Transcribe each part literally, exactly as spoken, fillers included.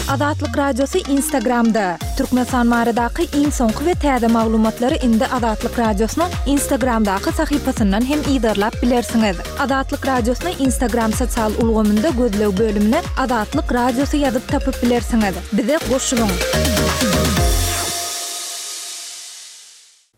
Azatlyk Radiosy Instagramda. Türkmenistan baradaky iň soňky we täze maglumatlary indi Azatlyk Radiosynyň Instagramdaky sahypasyndan hem yzarlap bilersiňiz. Azatlyk Radiosyny Instagram sosial ulgamynda gözleg bölümine Azatlyk Radiosy ýazyp tapyp bilersiňiz. Bize goşulyň!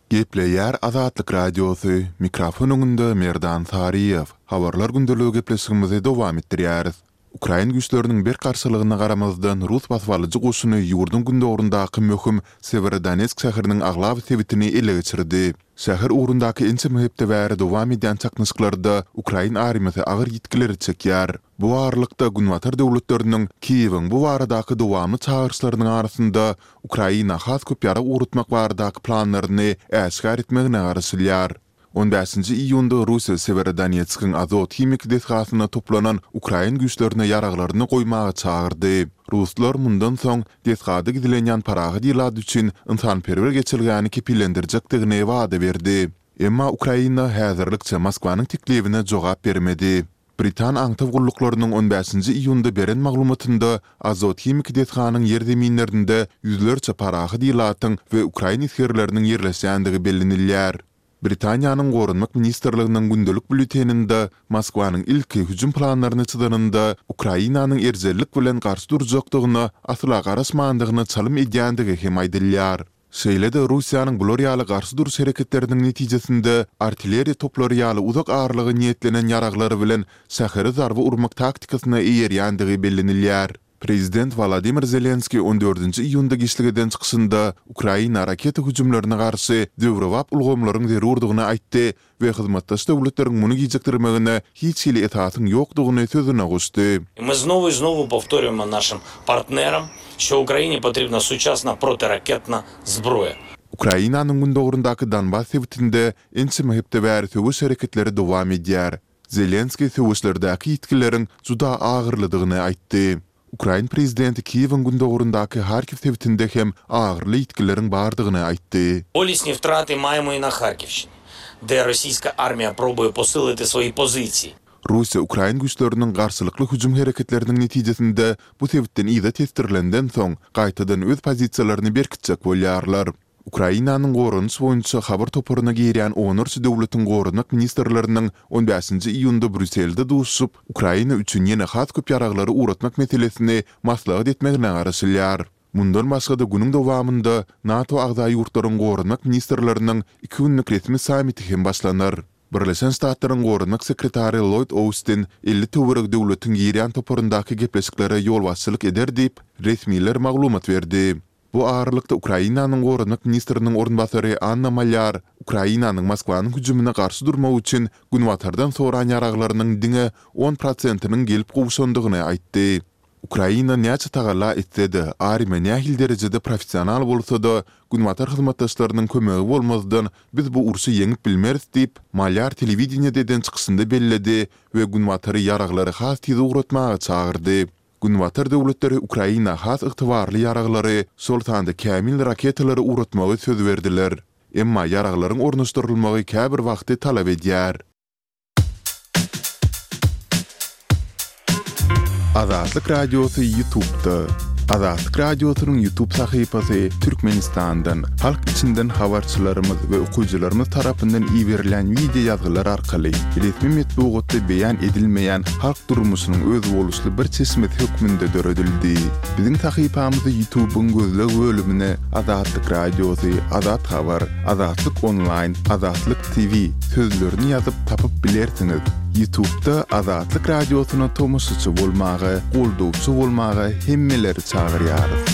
Gepleýär Azatlyk Radiosy, mikrofon öňünde Merdan Saryýew. Habarlar gündeligi gepleşigimizi dowam etdirýäris. Ukrain güýçleriniň berk garşylygyna garamazdan, rus basybalyjy goşuny ýurduň gündogaryndaky möhüm Sewerodonetsk şäheriniň aglaba sebitini ele geçirdi. Şäher ugrundaky ençeme hepde bäri dowam edýän çaknyşyklarda ukrain armiýasy agyr ýitgileri çekýär. Bu aralykda, Günbatar döwletleriniň Kiýewiň bu baradaky dowamly çagyryşlarynyň arasynda Ukraina has köp ýarag ugratmak baradaky planlaryny äşgär etmegine garaşylýar. On bäşinji iýunda Russiýa Sewerodonetskiň Azot himiki desgasynda toplanan ukrain güýçlerine ýaraglaryny goýmaga çagyrdy. Ruslar mundan soň desgada gizlenýän parahat ilat üçin ynsanperwer geçelgäni kepillendirjekdigini wada berdi. Emma Ukraina häzirlikçe Moskwanyň teklibine jogap bermedi. Britan aňtaw gulluklarynyň on bäşinji iýunda beren maglumatynda Azot himiki desganyň ýerzeminlerinde ýüzlerçe parahat ilatyň we ukrain esgerleriniň ýerleşýändigi bellenilýär. Britaniýanyň Goranmak ministrliginiň gündelik býulleteninde Moskwanyň ilki hüjüm planlaryny çyzanynda Ukrainanyň erjellik bilen garşy durjakdygyna asla garaşmandygyna çalym edýändigi hem aýdylýar. Şeýle-de Russiýanyň bular ýaly garşy duruş hereketleriniň netijesinde artilleriýa toplary ýaly uzak aralyga niýetlenen ýaraglar bilen şähere zarba urmak taktikasyna eýerýändigi bellenilýär. Prezident Wolodymyr Zelenskiý on dördünji iýunda giçlik eden çykyşynda Ukraina raketa hüjümlerine garşy döwrebap ulgamlaryň zerurdygyny aýtdy we hyzmatdaş döwletleriň muny gijikdirmegine hiç hili esasyň ýokdugyny sözüne goşdy. Мы знову і знову повторюємо нашим партнерам, що Україні потрібна сучасна протиракетна зброя. Ukrainanyň gündogaryndaky Donbas sebitinde ençeme hepde bäri söweş hereketleri dowam edýär. Zelenskiý söweşlerdäki ýitgileriň juda agyrlydygyny aýtdy. Ukrain prezidenti Kiýewiň gündogaryndaky Harkiw sebitinde hem agyrly ýitgileriň bardygyny aýtdy. Болісні втрати маємо і на Харківщині, де російська армія пробує посилити свої позиції. Russiýa ukrain güýçleriniň garşylykly hüjüm hereketleriniň netijesinde bu sebitden yza tesdirilenden soň, gaýtadan öz pozisiýalaryny berkitjek bolýarlar. Ukrainanyň goranyş boýunça habar toparyna girýän onlarça döwletiň goranmak ministrleriniň on bäşinji iýunda Brýusselde duşuşyp, Ukraina üçin ýene has köp ýaraglary ugratmak meselesini maslahat etmegine garaşylýar. Mundan başga-da günüň dowamynda NATO agza ýurtlaryň goranmak ministrleriniň iki günlük resmi sammiti hem başlanar. Birleşen Ştatlaryň goranmak sekretary Lloýd Austin elli töweregi döwletiň girýän toparyndaky gepleşiklere ýolbaşçylyk eder diýip, resmiler maglumat berdi. Bu aralykda Ukrainanyň goranmak ministriniň orunbasary Anna Malýar Ukrainanyň Moskwanyň hüjümine garşy durmak üçin Günbatardan soran ýaraglarynyň diňe on prosentiniň gelip gowşandygyny aýtdy. Ukraina näçe tagalla etse-de, armiýa nähili derejede professional bolsa-da, Günbatar hyzmatdaşlarynyň kömegi bolmazdan biz bu urşy ýeňip bilmeris diýip, Malýar telewideniýede eden çykyşynda belledi we Günbatary ýaraglary has tiz ugratmaga çagyrdy. Günbatar döwletleri Ukraina has ygtybarly ýaraglary, şol sanda kämil raketalary ugratmagy söz berdiler. Emma ýaraglaryň ornaşdyrylmagy käbir wagty talap edýär. Azatlyk Radiosy YouTube'da. Azatlyk Radiosynyň YouTube sahypasy Türkmenistandan, halk içinden habarçylarymyz we okyjylarymyz tarapyndan iberilen wideo ýazgylar arkaly resmi metbugatda beýan edilmeýän halk durmuşynyň özboluşly bir çeşmesi hökmünde döredildi. Biziň sahypamyzy YouTube'yň gözleg bölümine Azatlyk Radiosy, Azat Habar, Azatlyk Online, Azatlyk T V sözlerini ýazyp tapyp bilersiňiz. YouTube'da Azatlyk Radiosyna tomaşaçy bolmaga, goldawçy bolmaga hemmeleri çagyrýarys.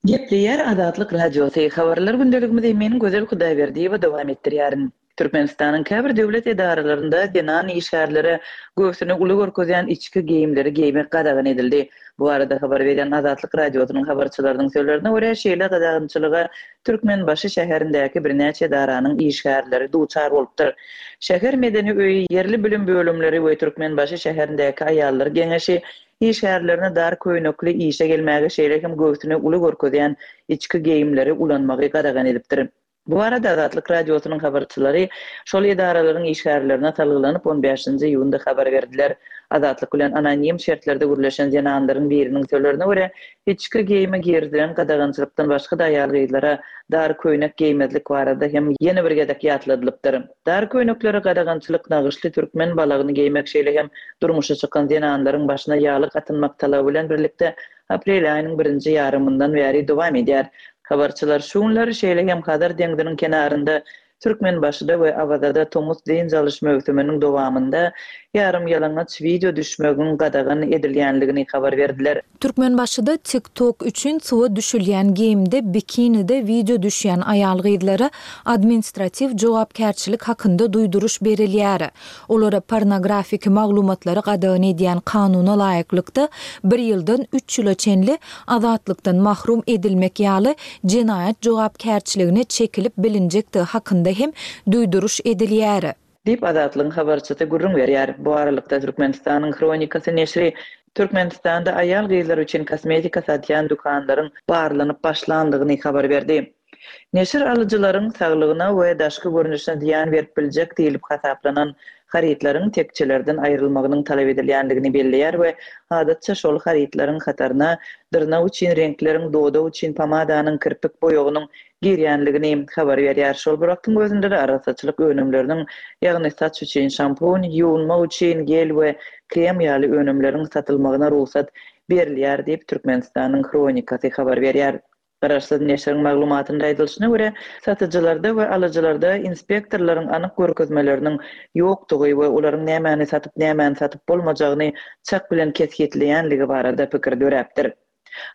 Gepleýär Azatlyk Radiosy. Habarlar gündeligimizi men Gözel Hudaýberdiýewa dowam etdirýärin. Türkmenistanyň käbir döwlet edaralarynda zenan işgärlere göwsüni uly görkezýän içki geýimleri geýmek gadagan edildi. Bu arada habar beren Azatlyk Radiosynyň habarçylarynyň sözlerine görä şeýle gadagançylyga Türkmenbaşy şäherindäki birnäçe edaranyň işgärleri duçar bolupdyr. Şäher medeni öýi, ýerli bilim bölümleri we Türkmenbaşy şäherindäki aýallar geňeşi işgärlerine dar köýnekli işe gelmäge şeýle hem göwsüni uly görkezýän içki geýimleri ulanmagy gadagan edipdir. Bu barada Azatlyk Radiosynyň habarçylary şol edaralaryň işgärlerine salgylanyp on bäşinji iýunda habar berdiler. Azatlyk bilen anonim şertlerde gürleşen zenanlaryň biriniň sözlerine görä, içki geýime girizilen gadagançylykdan başga-da aýal-gyzlara dar köýnek geýmezlik barada hem ýene bir gezek ýatladylypdyr. Dar köýneklere gadagançylyk nagyşly türkmen balagyny geýmek, şeýle hem durmuşa çykan zenanlaryň başyna ýaglyk atynmak talaby bilen birlikde aprel aýynyň birinji ýarymyndan bäri dowam edýär. Habarçylar şu günler şeýle hem Hazar deňziniň kenarynda Türkmenbaşyda we Awazada tomus dynç alyş möwsüminiň dowamynda ýarym ýalaňaç wideo düşmegiň gadagan edilýänligini habar berdiler. Türkmenbaşyda TikTok üçin suwa düşülýän geýimde bikinide wideo düşýän aýal-gyzlara administratiw jogapkärçilik hakynda duýduryş berilýär. Olara pornografiki maglumatlary gadagan edýän kanuna laýyklykda bir ýyldan üç ýyla çenli azatlykdan mahrum edilmek ýaly jenaýat jogapkärçiligine çekilip bilinjekdigi hakynda hem duýduryş edilýär. Diýip Azatlygyň habarçysy gürrüň berýär. Bu aralykda Türkmenistanyň Hronikasy neşiri Türkmenistanda aýal-gyzlar üçin kosmetika satýan dükanlaryň barlanyp başlandygyny habar berdi. Neşir alyjylaryň saglygyna we daşky görnüşine zyýan berip biljek diýlip hasaplanan harytlaryň tekçelerden aýrylmagynyň talap edilýändigini belleýär we adatça şol harytlaryň hataryna dyrnak üçin reňkleriň, dodak üçin pomadanyň, kirpik boýagynyň girýänligini habar berýär. Şol bir wagtyň özünde-de arassaçylyk önümleriniň, ýagny saç üçin şampun, ýuwunmak üçin gel we krem ýaly önümleriň satylmagyna rugsat berilýär diýip Türkmenistanyň Hronikasy habar berýär. Garaşsyz neşiriň maglumatynda aýdylyşyna görä, satyjylarda we alyjylarda inspektorlaryň anyk görkezmeleriniň ýokdugy we olaryň nämäni satyp, nämäni satyp bolmajagyny çak bilen kesgitleýänligi barada pikir döräpdir.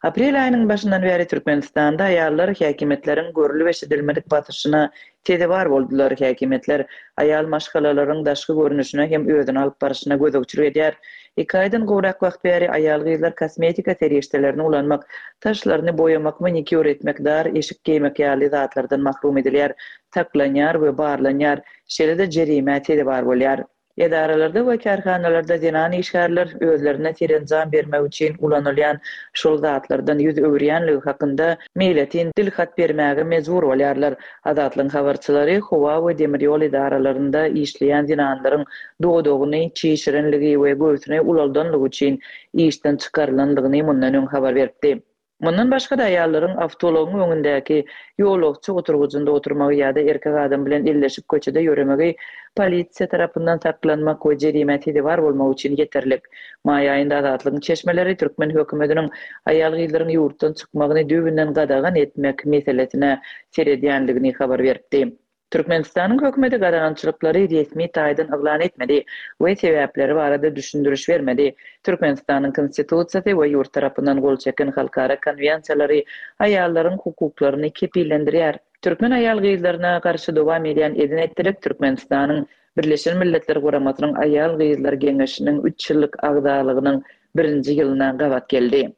Aprel aýynyň başyndan bäri Türkmenistanda aýallar häkimiýetleriň görülip eşidilmedik basyşyna sezewar boldular. Häkimiýetler aýal maşgalalaryň daşky görnüşine hem özüni alyp baryşyna gözegçilik edýär. Iki aýdan gowrak wagt bäri aýal-gyzlar kosmetika serişdelerini ulanmak, saçlaryny boýamak, manikýur etmek, dar eşik geýmek ýaly zatlardan mahrum edilýär, saklanýar we barlanýar, şeýle-de jerimä sezewar bolýar. Edaralarda we kärhanalarda zenan işgärler özlerine serenjam bermek üçin ulanylýan şol zatlardan ýüz öwürýänligi hakynda meýletin dil hat bermäge mejbur bolýarlar. Azatlygyň habarçylary howa we demir ýol edaralarynda işleýän zenanlaryň dodagyny çişirenligi we göwsüni ulaldanlygy üçin işden çykarylanlygyny mundan öň habar beripdi. Mundan başga-da aýallaryň awtoulagyň öňündäki ýolagçy oturgyjynda oturmagy ýa-da erkek adam bilen elleşip köçede ýöremegi polisiýa tarapyndan saklanmak we jerimä sezewar bolmak üçin ýeterlik. Maý aýynda Azatlygyň çeşmeleri türkmen hökümetiniň aýal-gyzlaryň ýurtdan çykmagyny düýbünden gadagan etmek meselesine seredýänligini habar beripdi. Türkmenistanyň hökümeti gadagançylyklary resmi taýdan yglan etmedi we sebäpleri barada düşündiriş bermedi. Türkmenistanyň Konstitusiýasy we ýurt tarapyndan gol çeken halkara konwensiýalary aýallaryň hukuklaryny kepillendirýär. Türkmen aýal-gyzlaryna garşy dowam edýän edin-etdilik Türkmenistanyň Birleşen Milletler Guramasynyň Aýal-gyzlar Geňeşiniň üç ýyllyk agzalygynyň birinji ýylyna gabat geldi.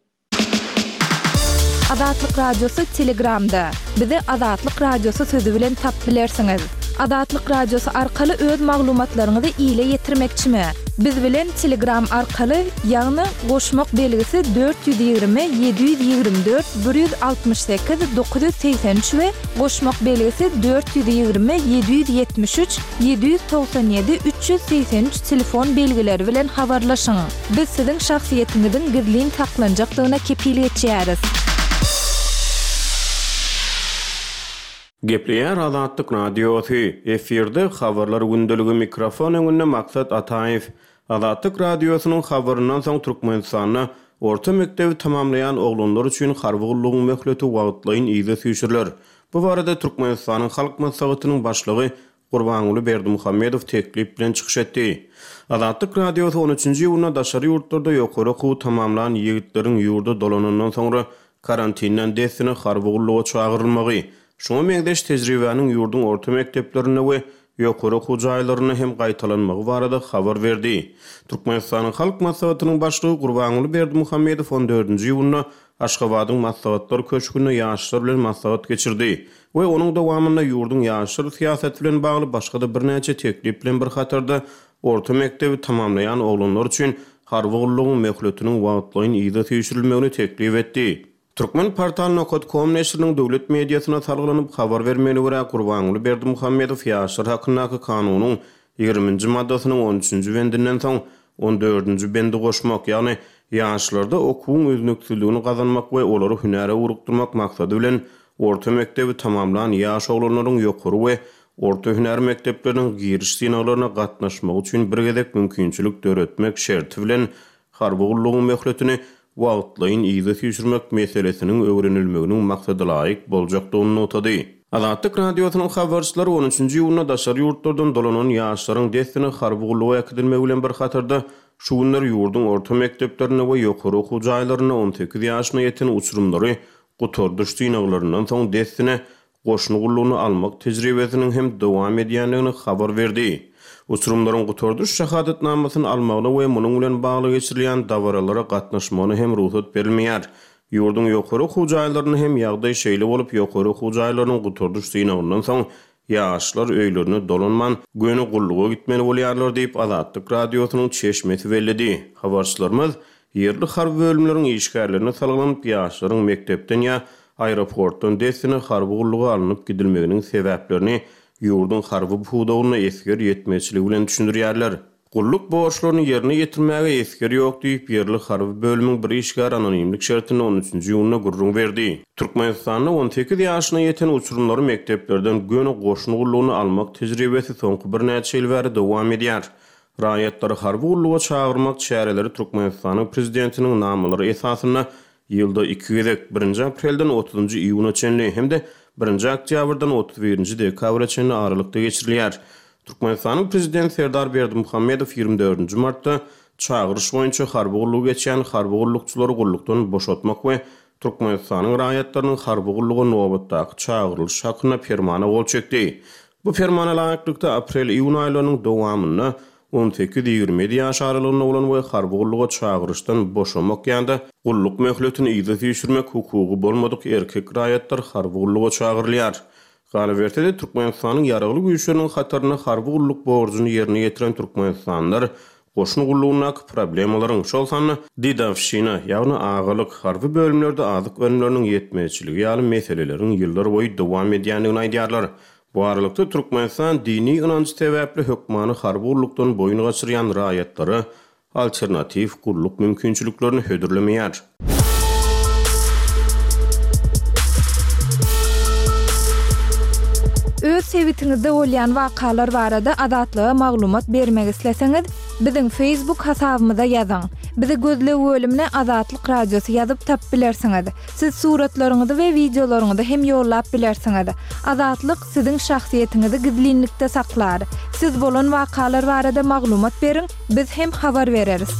Azatlyk Radiosy Telegramda. Bizi Azatlyk Radiosy sözi bilen tap bilersiňiz. Azatlyk Radiosy arkaly öz maglumatlaryňyzy ile ýetirmekçimi? Biz bilen Telegram arkaly, ýagny goşmak belgisi dört ýüz ýigrimi, ýedi ýüz ýigrimi dört, bir ýüz altmyş sekiz, dokuz ýüz segsen üç we goşmak belgisi dört ýüz ýigrimi, ýedi ýüz ýetmiş üç, ýedi ýüz togsan ýedi, üç ýüz segsen üç telefon belgileri bilen habarlaşyň. Biz siziň şahsyýetiňiziň gizlin saklanjakdygyna kepil geçýäris. Gepleýär Azatlyk Radiosy. Efirde habarlar gündeligi mikrofon öňünde Maksat Ataýew. Azatlyk Radiosynyň habaryndan soň Türkmenistanda orta mekdebi tamamlaýan oglanlar üçin harby gullugyň möhleti wagtlaýyn yza süýşüriler. Bu barada Türkmenistanyň Halk Maslahatynyň başlygy Gurbanguly Berdimuhamedow teklip bilen çykyş etdi. Azatlyk Radiosy on üçünji iýunda daşary ýurtlarda ýokary okuwy tamamlan ýigitleriň ýurda dolanandan soňra karantinden dessine harby gulluga çagyrylmagy, şoňa meňzeş tejribäniň ýurduň orta mekdeplerinde we ýokary okuw jaýlarynda hem gaýtalanmagy barada habar berdi. Türkmenistanyň Halk Maslahatynyň başlygy Gurbanguly Berdimuhamedow on dördünji iýunda Aşgabadyň Maslahatlar köşgünde ýaşlar bilen maslahat geçirdi we onuň dowamynda ýurduň ýaşlar syýasaty bilen bagly başga-da birnäçe teklip bilen bir hatarda orta mekdebi tamamlaýan oglanlar üçin harby gullugyň möhletiniň wagtlaýyn yza süýşürilmegini teklip etdi. Turkmenportal nokat kom neşiriniň döwlet mediasyna salgylanyp habar bermegine görä, Gurbanguly Berdimuhamedow Ýaşlar hakyndaky kanunyň ýigriminji maddasynyň on üçünji bendinden soň on dördünji bendi goşmak, ýagny ýaşlarda okuwyň üznüksizligini gazanmak we olary hünäre ugrukdyrmak maksady bilen orta mekdebi tamamlan ýaş oglanlaryň ýokary we orta hünär mekdepleriniň giriş synaglaryna gatnaşmagy üçin bir gezek mümkinçilik döretmek şerti bilen harby gullugyň möhletini wagtlaýyn yza süýşürmek meselesiniň öwrenilmeginiň maksadalaýyk boljakdygyny nygtady. Azatlyk Radiosynyň habarçylary on üçünji iýunda daşary ýurtlardan dolanan ýaşlaryň dessine harby gulluga äkidilmegi bilen bir hatarda şu günler ýurduň orta mekdeplerinde we ýokary okuw jaýlarynda on sekiz ýaşyna ýeten uçurymlary gutardyş synaglaryndan soň dessine goşun gullugyny almak tejribesiniň hem dowam edýändigini habar berdi. Uçurymlaryň gutardyş şahadatnamasyny almagyna we munuň bilen bagly geçirilýän dabaralara gatnaşmagyna hem rugsat berilmeýär. Ýurduň ýokary okuw jaýlarynda hem ýagdaý şeýle bolup, ýokary okuw jaýlarynyň gutardyş synagyndan soň ýaşlar öýlerine dolanman, göni gulluga gitmeli bolýarlar diýip Azatlyk Radiosynyň çeşmesi belledi. Habarçylarymyz ýerli harby bölümleriň işgärlerine salgylanyp, ýaşlaryň mekdepden ýa aeroportdan dessine harby gulluga alnyp gidilmeginiň sebäplerini ýurduň harby pudagyna esger ýetmezçiligi bilen düşündirýärler. Gulluk borçlaryny ýerine ýetirmäge esger ýok diýip, ýerli harby bölümiň bir işgäri anonimlik şertinde on üçünji iýunda gürrüň berdi. Türkmenistanda on sekiz ýaşyna ýeten uçurymlary mekdeplerden göni goşun gullugyny almak tejribesi soňky birnäçe ýyl bäri dowam edýär. Raýatlary harby gulluga çagyrmak çäreleri Türkmenistanyň prezidentiniň namalary esasynda ýylda iki gezek, birinji aprelden otuzynjy iýuna çenli hem-de birinji oktýabrdan otuz birinji dekabra çenli aralykda geçirilýär. Türkmenistanyň prezidenti Serdar Berdimuhamedow ýigrimi dördünji martda çagyryş boýunça harby gullugy geçýän harby gullukçylary gullukdan boşatmak we Türkmenistanyň raýatlarynyň harby gulluga nobatdaky çagyrylyş hakynda permana gol çekdi. Bu permana laýyklykda aprel-iýun aýlarynyň dowamynda on sekiz-ýigrimi ýedi ýaş aralygynda bolan we harby gulluga çagyryşdan boşamak ýa-da gulluk möhletini yza süýşürmek hukugy bolmadyk erkek raýatlar harby gulluga çagyrylýar. Galyberse-de Türkmenistanyň ýaragly güýçleriniň hatarynda harby gulluk borjuny ýerine ýetiren Türkmenistanlylar goşun gullugyndaky problemalaryň, şol sanda didawşina, ýagny agalyk, harby bölümlerde azyk önümleriniň ýetmezçiligi ýaly meseleleriň ýyllar boýy dowam edýändigini aýdýarlar. Bu aralykda Türkmenistan dini ynanç sebäpli hökmany harby gullukdan boýun gaçyrýan raýatlara alternatiw gulluk mümkinçiliklerini hödürlemeýär. Öz sebitiňizde bolýan wakalar barada Azatlyga maglumat bermek isleseňiz, biziň Facebook hasabymyza ýazyň. Bizi gözleg bölümine Azatlyk Radiosy ýazyp tap bilersiňiz. Siz suratlaryňyzy we wideolaryňyzy hem ýollap bilersiňiz. Azatlyk siziň şahsyýetiňizi gizlinlikde saklar. Siz bolan wakalar barada maglumat beriň, biz hem habar bereris.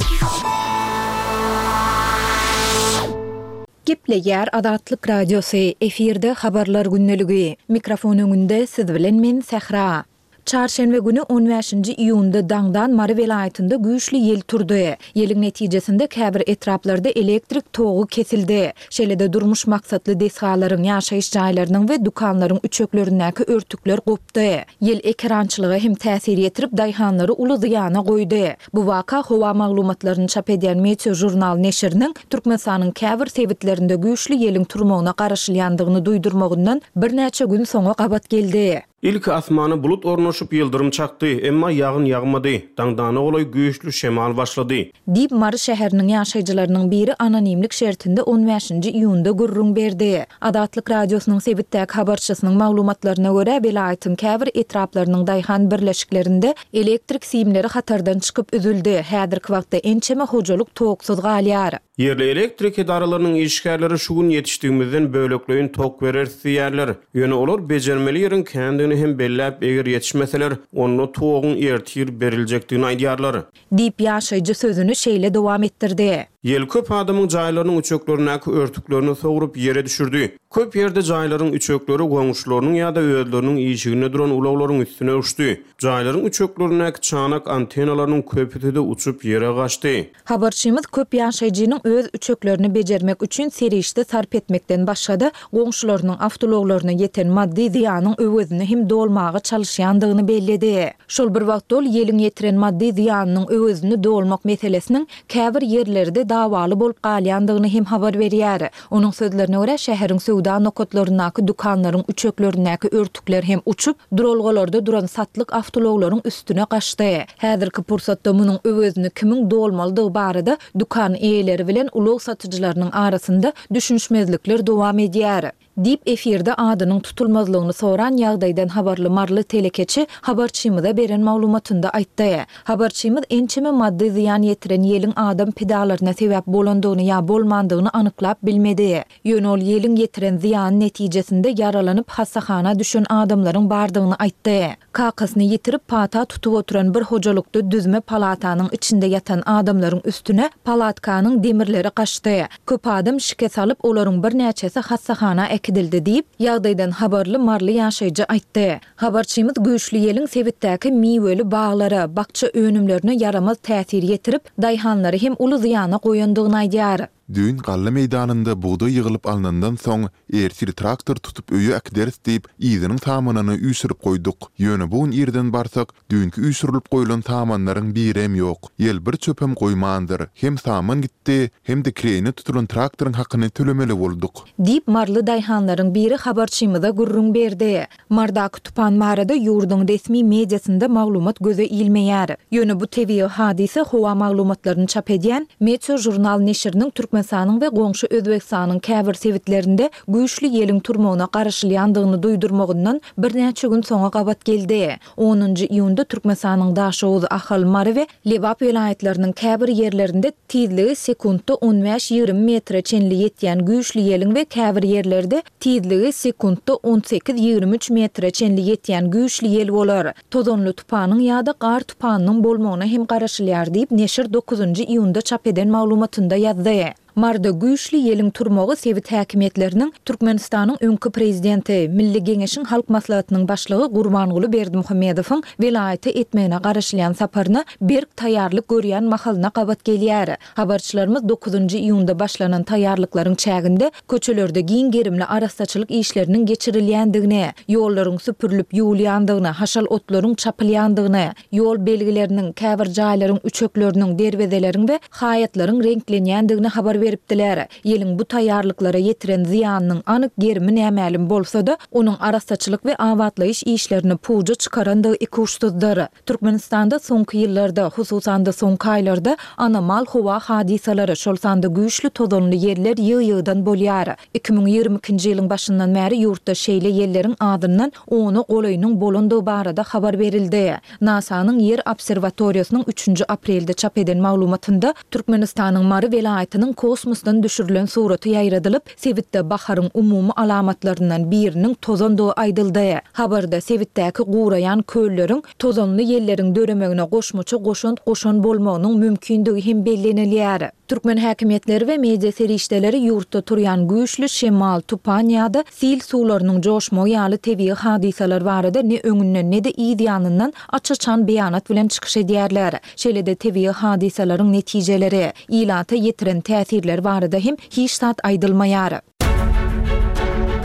Gepleýär Azatlyk Radiosy, efirde habarlar gündeligi. Mikrofon öňünde siz bilen men Sähra. Çarşenbe günü on beşinji iýunda Daňdan Mary welaýatynda güýçli ýel turdy. Ýeliň netijesinde käbir etraplarda elektrik togy kesildi. Şeýle-de durmuş maksatly desgalaryň, ýaşaýyş jaýlarynyň we dükanlaryň üçeklerindäki örtükler gopdy. Ýel ekerançylyga hem täsir ýetirip, daýhanlary uly zyýana goýdy. Bu waka howa maglumatlaryny çap edýän Meteo Jurnal neşiriniň Türkmenistanyň käbir sebitlerinde güýçli ýeliň turmagyna garaşylýandygyny duýdurmagyndan birnäçe gün soňa gabat geldi. Ilki asmana bulut ornaşyp ýyldyrym çakdy, emma ýagyn ýagmady. Daňdana golaý güýçli şemal başlady. Diýip Mary şäheriniň ýaşaýjylarynyň biri anonimlik şertinde on beşinji iýunda gürrüň berdi. Azatlyk Radiosynyň sebitdäki habarçysynyň maglumatlaryna görä, welaýatyň käbir etraplarynyň daýhan birleşiklerinde elektrik simleri hatardan çykyp üzüldi. Häzirki wagtda ençeme hojalyk toksuz galýar. Ýerli elektrik edaralarynyň işgärleri şu gün ýetişdigimizden bölekleýin tok bereris diýýärler. Ýöne olar bejermeli ýeriň kändigini hem belläp, eger ýetişmeseler, onda toguň ertir beriljekdigini aýdýarlar. Diýip ýaşaýjy sözüni şeýle dowam etdirdi. Ýel köp adamyň jaýlarynyň üçeklerindäki örtüklerini sowrup ýere düşürdi. Köp ýerde jaýlaryň üçekleri goňşularynyň ýa-da özleriniň işiginde duran ulaglaryň üstüne uçdy. Jaýlaryň üçeklerindäki çanak antenalarynyň köpüsi-de uçup ýere gaçdy. Habarçymyz köp ýaşaýjynyň öz üçeklerini bejermek üçin serişde sarp etmekden başga-da goňşularynyň awtoulaglaryna ýeten maddy zyýanyň öwezini hem dolmaga çalyşýandygyny belledi. Şol bir wagtda ol ýeliň ýetiren maddy zyýanynyň öwezini dolmak meselesiniň käbir ýerlerde hemişe dawaly bolup galýandygyny hem habar berýär. Onuň sözlerine görä, şäheriň söwda nokatlaryndaky dükanlaryň üçeklerindäki örtükler hem uçup, duralgalarda duran satlyk awtoulaglaryň üstüne gaçdy. Häzirki pursatda munuň öwezini kimiň dolmalydygy barada dükan eýeleri bilen ulag satyjylarynyň arasynda düşünişmezlikler dowam edýär. Diýip, efirde adynyň tutulmazlygyny soran ýagdaýdan habarly maryly telekeçi habarçymyza beren maglumatynda aýtdy. Habarçymyz ençeme maddy zyýan ýetiren ýeliň adam pidalaryna sebäp bolandygyny ýa bolmandygyny anyklap bilmedi. Ýöne ol ýeliň ýetiren zyýany netijesinde ýaralanyp hassahana düşen adamlaryň bardygyny aýtdy. Kakasyny ýitirip pata tutup oturan bir hojalykda düzme palatanyň içinde ýatan adamlaryň üstüne palatkanyň demirleri gaçdy. Köp adam şikes alyp, olaryň birnäçesi hassahana äkidildi diýip, ýagdaýdan habarly maryly ýaşaýjy aýtdy. Habarçymyz güýçli ýeliň sebitdäki miweli baglara, bakja önümlerine ýaramaz täsir ýetirip, daýhanlary hem uly zyýana goýandygyny aýdýar. Düýn galla meýdanynda bugdaý ýygylyp alnandan soň, ertir traktor tutup öýe äkideris diýip, yzynyň samanyny üýşürip goýduk. Ýöne bu gün irden barsak, düýnki üýşürilip goýlan samanlaryň birem ýok. Ýel bir çöpem goýmandyr. Hem saman gitdi, hem-de kireýine tutulan traktoryň hakyny tölemeli bolduk. Diýip, maryly daýhanlaryň biri habarçymyza gürrüň berdi. Mardaky tupan barada ýurduň resmi mediasynda maglumat göze ilmeýär. Ýöne bu tebigy hadysa howa maglumatlaryny çap edýän Meteožurnal neşiriniň Türkmenistanyň we goňşy Özbegistanyň käbir sebitlerinde güýçli ýeliň turmagyna garaşylýandygyny duýdurmagyndan birnäçe gün soňa gabat geldi. Onunjy iýunda Türkmenistanyň Daşoguz, Ahal, Mary we Lebap welaýatlarynyň käbir ýerlerinde tizligi sekuntda on bäş-ýigrimi metre çenli ýetýän güýçli ýeliň we käbir ýerlerde tizligi sekuntda on sekiz-ýigrimi üç metre çenli ýetýän güýçli ýel bolar. Tozanly tupanyň ýa-da gar tupanynyň bolmagyna hem garaşylýar diýip, neşir dokuzynjy iýunda çap eden maglumatynda ýazdy. Maryda güýçli ýeliň turmagy sebit häkimiýetleriniň Türkmenistanyň öňki prezidenti, Milli Geňeşiň Halk Maslahatynyň Başlygy Gurbanguly Berdimuhamedowyň welaýata etmegine garaşylýan saparyna berk taýýarlyk görýän mahalyna gabat gelýär. Habarçylarymyz dokuzynjy iýunda başlanan taýýarlyklaryň çäginde köçelerde giň gerimli arassaçylyk işleriniň geçirilýändigini, ýollaryň süpürilip ýuwulýandygyny, haşal otlaryň çapylýandygyny, ýol belgileriniň, käbir jaýlaryň üçekleriniň, derwezeleriň we haýatlaryň reňklenýändigini habar beripdiler. Ýeliň bu taýýarlyklara ýetiren zyýanynyň anyk gerimi nämälim bolsa-da, onuň arassaçylyk we abatlaýyş işlerini puja çykarandygy ikuçsuzdyr. Türkmenistanda soňky ýyllarda, hususan-da soňky aýlarda anomal howa hadysalary, şol sanda güýçli tozanly ýeller ýygy-ýygydan bolýar. Iki müň ýigrimi ikinji ýylyň başyndan bäri ýurtda şeýle ýelleriň azyndan ona golaýynyň bolandygy barada habar berildi. NASA-nyň Ýer obserwatoriýasynyň üçünji aprelde çap eden maglumatynda Türkmenistanyň Mary welaýatynyň kosmosdan düşürilen suraty ýaýradylyp, sebitde baharyň umumy alamatlaryndan biriniň tozandygy aýdyldy. Habarda sebitdäki guraýan kölleriň tozanly ýelleriň döremegine goşmaça goşant goşan bolmagynyň mümkindigi hem bellenilýär. Türkmen häkimiýetleri we media serişdeleri ýurtda turýan güýçli şemal, tupan ýa-da sil suwlarynyň joşmagy ýaly tebigy hadysalar barada ne öňünden, ne-de yz ýanyndan aç-açan beýanat bilen çykyş edýärler. Şeýle-de tebigy hadysalaryň netijeleri, ilata ýetiren täsirleri barada hem hiç zat aýdylmaýar.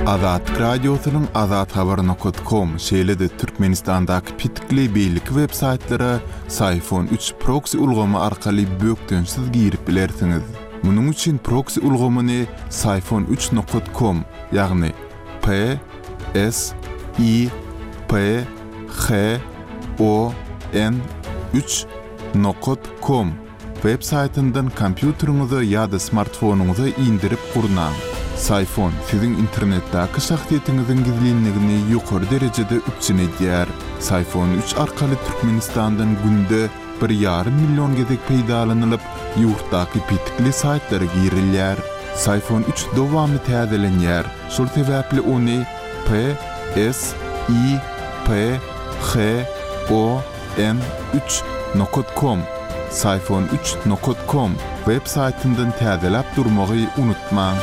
Azatlyk Radiosynyň azathabar nokat kom, şeýle-de Türkmenistandaky petikli beýleki web saýtlara Syfon üç proksi ulgamy arkaly bökdençsiz girip bilersiňiz. Munuň üçin proksi ulgamyny Syfon üç nokat kom, ýagny P S I P H O N üç nokat kom web saýtyndan kompýuteriňize ýa-da smartfonyňyza indirip gurnaň. Syfon siziň internetdäki şahsyýetiňiziň gizlinligini ýokary derejede üpjün edýär. Syfon üç arkaly Türkmenistandan günde bir ýarym million gezek peýdalanylyp, ýurtdaky petikli saýtlara girilýär. Syfon üç dowamly täzelenýär. Şol sebäpli ony P S I P H O N üç nokat kom, Syfon üç nokat kom web saýtyndan täzeläp durmagy unutmaň.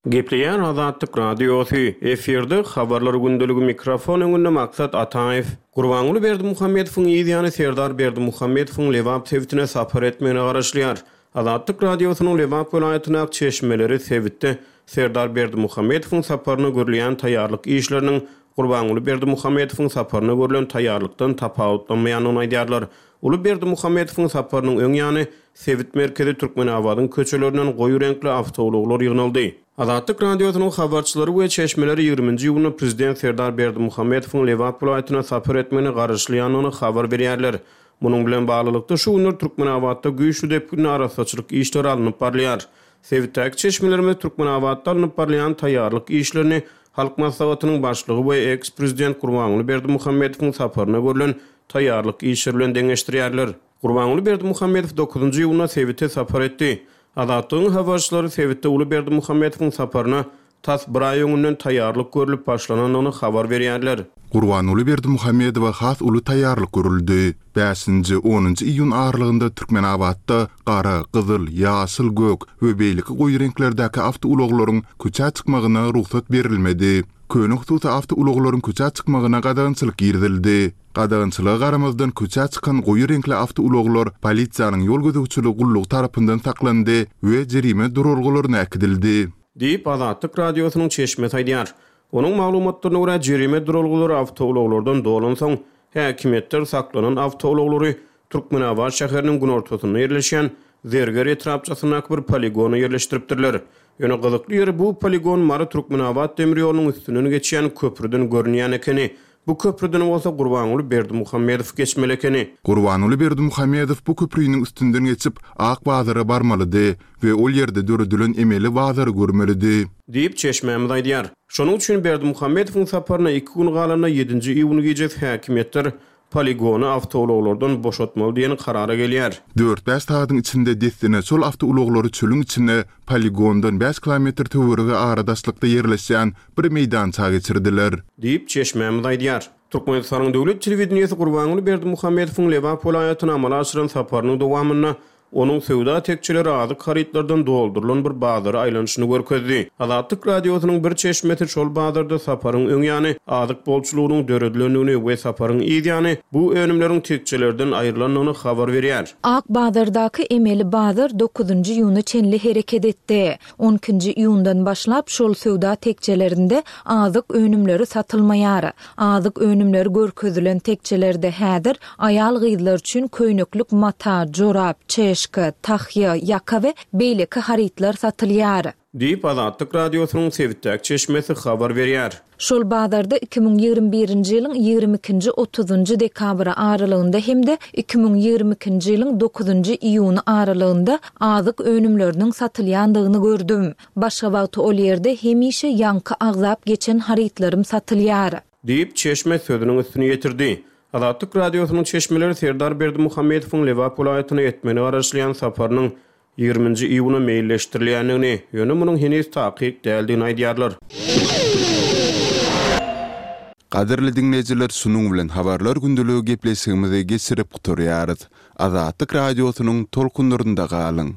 Gepleýär Azatlyk Radiosy, efirde habarlar gündeligi mikrofon öňünde Maksat Ataýew. Gurbanguly Berdimuhamedowyň yz ýany Serdar Berdimuhamedowyň Lebap sebitine sapar etmegine garaşylýar. Azatlyk Radiosynyň Lebap welaýatyndaky çeşmeleri sebitde Serdar Berdimuhamedowyň saparyna görülýän taýýarlyk işleriniň Gurbanguly Berdimuhamedowyň saparyna görlen taýýarlykdan tapawutlanmaýandygyny aýdýarlar. Uly Berdimuhamedowyň saparynyň öň ýany sebit merkezi Türkmenabadyň köçelerinden goýy reňkli awtoulaglar ýygnaldy. Azatlyk Radiosynyň habarçylary we çeşmeleri ýigriminji iýunda prezident Serdar Berdimuhamedowyň Lebap welaýatyna sapar etmegine garaşylýandygyny habar berýärler. Munuň bilen baglylykda, şu günler Türkmenabatda güýçli depginde arassaçylyk işleri alnyp barylýar. Sebitdäki çeşmelerimiz Türkmenabatda alnyp barylýan taýýarlyk işlerini Halk Maslahatynyň Başlygy we eks-prezident Gurbanguly Berdimuhamedowyň saparyna görlen taýýarlyk işleri bilen deňeşdirýärler. Gurbanguly Berdimuhamedow dokuzynjy iýunda sebite sapar etdi. Azatlygyň habarçylary sebitde uly Berdimuhamedowyň saparyna tas bir aý öňünden taýýarlyk görlüp başlanandygyny habar berýärler. Gurbanguly Berdimuhamedowa has uly taýýarlyk görüldi. Bäşinji, onunjy iýun aralygynda Türkmenabatda gara, gyzyl, ýaşyl, gök we beýleki goýy reňklerdäki awtoulaglaryň köçä çykmagyna rugsat berilmedi. Köne hususy awtoulaglaryň köçä çykmagyna gadagançylyk girizildi. Gadagançylyga garamazdan köçä çykan goýy reňkli awtoulaglar polisiýanyň ýol gözegçiligi gullugy tarapyndan saklandy we jerime duralgalaryna äkidildi. Diýip, Azatlyk Radiosynyň çeşmesi aýdýar. Onuň maglumatlaryna görä, jerime duralgalary awtoulaglardan dolansoň, häkimiýetler saklanan awtoulaglary Türkmenabat şäheriniň günortasynda ýerleşýän Zerger etrapçasyndaky bir poligona ýerleşdiripdirler. Ýöne gyzykly ýeri, bu poligon Mary-Türkmenabat demir ýolunyň üstünden geçýän köprüden görünýän ekeni. Bu köprüden bolsa Gurbanguly Berdimuhamedow geçmeli ekeni. Gurbanguly Berdimuhamedow bu köprüniň üstünden geçip, Ak bazara barmalydy we ol ýerde döredilen emeli bazary görmelidi. Diýip, çeşmämiz aýdýar. Şonuň üçin Berdimuhamedowyň saparyna iki gün galanda ýedinji iýun gijesi häkimiýetler poligony awtoulaglardan boşatmaly diýen karara gelýär. Dört-bäş sagadyň içinde dessine şol awtoulaglary çölüň içine, poligondan bäş kilometr töweregi aradaşlykda ýerleşýän bir meýdança geçirdiler. Diýip, çeşmämiz aýdýar. Türkmenistanyň döwlet telewideniýesi Gurbanguly Berdimuhamedowyň Lebap welaýatyna amala aşyran saparynyň dowamynda onuň söwda tekjeleri azyk harytlardan doldurylan bir bazara aýlanyşyny görkezdi. Azatlyk Radiosynyň bir çeşmesi şol bazarda saparyň öň ýany azyk bolçulygynyň döredilendigini we saparyň yz ýany bu önümleriň tekjelerden aýrylandygyny habar berýär. Ak bazardaky emeli bazar dokuzynjy iýuna çenli hereket etdi. On ikinji iýundan başlap şol söwda tekjelerinde azyk önümleri satylmaýar. Azyk önümleri görkezilen tekjelerde häzir aýal-gyzlar üçin köýneklik mata, jorap, çeşka, tahýa, ýaka we beýleki harytlar satylýar. Diýip, Azatlyk Radiosynyň sebitdäki çeşmesi habar berýär. Şol bazarda iki müň ýigrimi birinji ýylyň ýigrimi ikinji otuzynjy dekabry aralygynda hem-de iki müň ýigrimi ikinji ýylyň dokuzynjy iýuny aralygynda azyk önümleriniň satylýandygyny gördüm. Başga wagty ol ýerde hemişe ýaňky agzap geçen harytlarym satylýar. Diýip, çeşme sözüniň üstüni ýetirdi. Azatlyk Radiosynyň çeşmeleri Serdar Berdimuhamedowyň Lebap welaýatyna etmegine garaşylýan saparynyň ýigriminji iýuna meýilleşdirilýändigini, ýöne munuň heniz takyk däldigini aýdýarlar. Gadyrly diňleýjiler, şunuň bilen Habarlar gündeligi gepleşigimizi geçirip gutarýarys. Azatlyk Radiosynyň tolkunlarynda galyň!